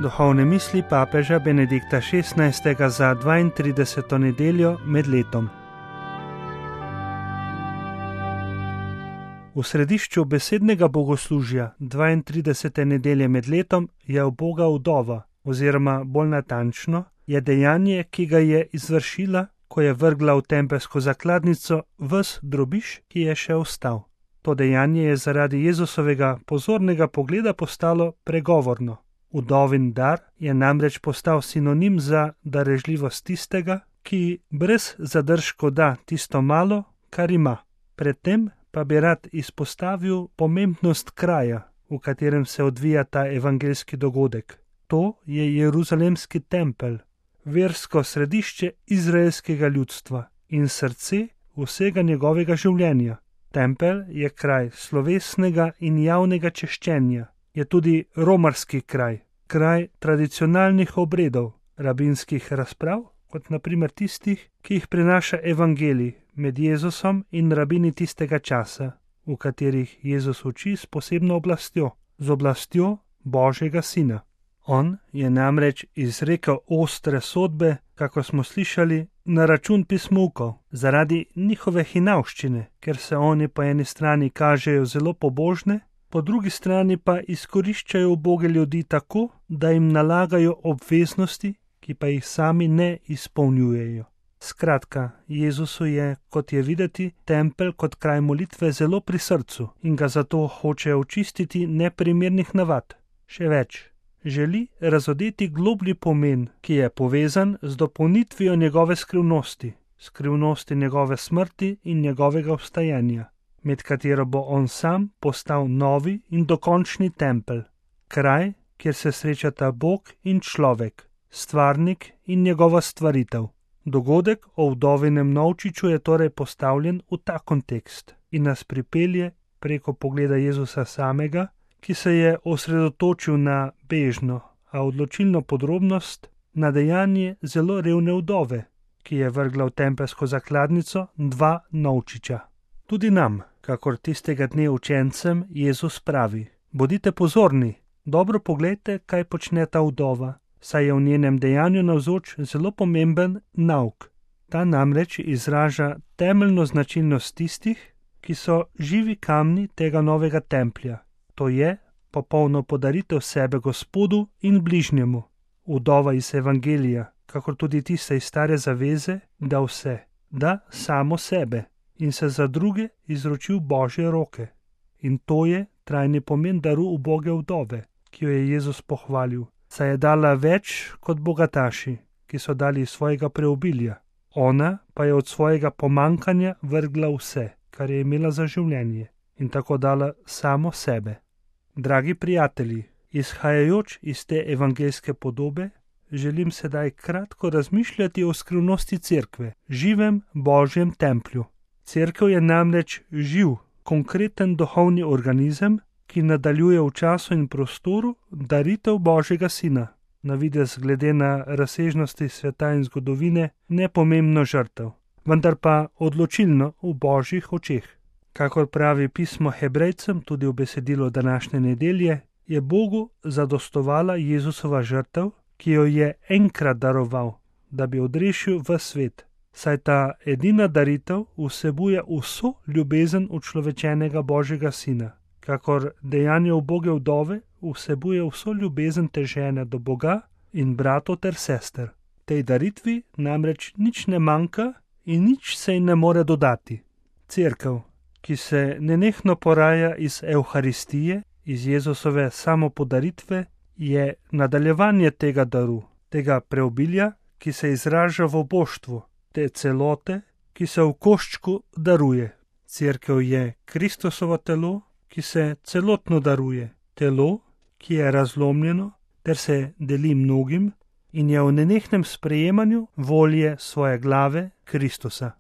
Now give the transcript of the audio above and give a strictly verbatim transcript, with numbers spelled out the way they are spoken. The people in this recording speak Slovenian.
Duhovne misli papeža Benedikta šestnajstega za dvaintrideseto nedeljo med letom. V središču besednega bogoslužja dvaintridesete nedelje med letom je uboga vdova, oziroma bolj natančno, je dejanje, ki ga je izvršila, ko je vrgla v tempelsko zakladnico ves drobiž, ki je še ostal. To dejanje je zaradi Jezusovega pozornega pogleda postalo pregovorno. Vdovin dar je namreč postal sinonim za darežljivost tistega, ki brez zadržkov da tisto malo, kar ima. Predtem pa bi rad izpostavil pomembnost kraja, v katerem se odvija ta evangeljski dogodek. To je Jeruzalemski tempelj, versko središče izraelskega ljudstva in srce vsega njegovega življenja. Tempelj je kraj slovesnega in javnega češčenja, je tudi romarski kraj, kraj tradicionalnih obredov, rabinskih razprav, kot na primer tistih, ki jih prinaša evangelij med Jezusom in rabini tistega časa, v katerih Jezus uči s posebno oblastjo, z oblastjo Božjega Sina. On je namreč izrekel ostre sodbe, kako smo slišali, na račun pismukov, zaradi njihove hinavščine, ker se oni po eni strani kažejo zelo pobožne, po drugi strani pa izkoriščajo uboge ljudi tako, da jim nalagajo obveznosti, ki pa jih sami ne izpolnjujejo. Skratka, Jezusu je, kot je videti, tempelj kot kraj molitve zelo pri srcu in ga zato hoče očistiti neprimernih navad. Še več, želi razodeti globlji pomen, ki je povezan z dopolnitvijo njegove skrivnosti, skrivnosti njegove smrti in njegovega vstajenja, med katero bo on sam postal novi in dokončni tempelj, kraj, kjer se srečata Bog in človek, stvarnik in njegova stvaritev. Dogodek o vdovinem novčiču je torej postavljen v ta kontekst in nas pripelje preko pogleda Jezusa samega, ki se je osredotočil na bežno, a odločilno podrobnost, na dejanje zelo revne vdove, ki je vrgla v tempelsko zakladnico dva novčiča. Tudi nam, kakor tistega dne učencem, Jezus pravi: bodite pozorni, dobro poglejte, kaj počne ta vdova, saj je v njenem dejanju navzoč zelo pomemben nauk. Ta namreč izraža temeljno značilnost tistih, ki so živi kamni tega novega templja. To je popolno podaritev sebe Gospodu in bližnjemu. Vdova iz evangelija, kakor tudi tista iz stare zaveze, da vse, da samo sebe in se za druge izroči v Božje roke. In to je trajni pomen daru uboge vdove, ki jo je Jezus pohvalil, saj je dala več kot bogataši, ki so dali iz svojega preobilja. Ona pa je od svojega pomankanja vrgla vse, kar je imela za življenje, in tako dala samo sebe. Dragi prijatelji, izhajajoč iz te evangeljske podobe, želim sedaj kratko razmišljati o skrivnosti cerkve, živem Božjem templju. Cerkev je namreč živ, konkreten duhovni organizem, ki nadaljuje v času in prostoru daritev Božjega Sina, na videz glede na razsežnosti sveta in zgodovine nepomembno žrtev, vendar pa odločilno v Božjih očeh. Kakor pravi pismo Hebrejcem tudi v besedilu današnje nedelje, je Bogu zadostovala Jezusova žrtev, ki jo je enkrat daroval, da bi odrešil v svet, saj ta edina daritev vsebuje vso ljubezen učlovečenega Božjega Sina, kakor dejanje uboge vdove vsebuje vso ljubezen te žene do Boga in bratov ter sester. Tej daritvi namreč nič ne manjka in nič se ji ne more dodati. Cerkev, ki se nenehno poraja iz Evharistije, iz Jezusove samopodaritve, je nadaljevanje tega daru, tega preobilja, ki se izraža v oboštvu, te celote, ki se v koščku daruje. Cerkev je Kristusovo telo, ki se celotno daruje, telo, ki je razlomljeno ter se deli mnogim in je v nenehnem sprejemanju volje svoje glave Kristusa.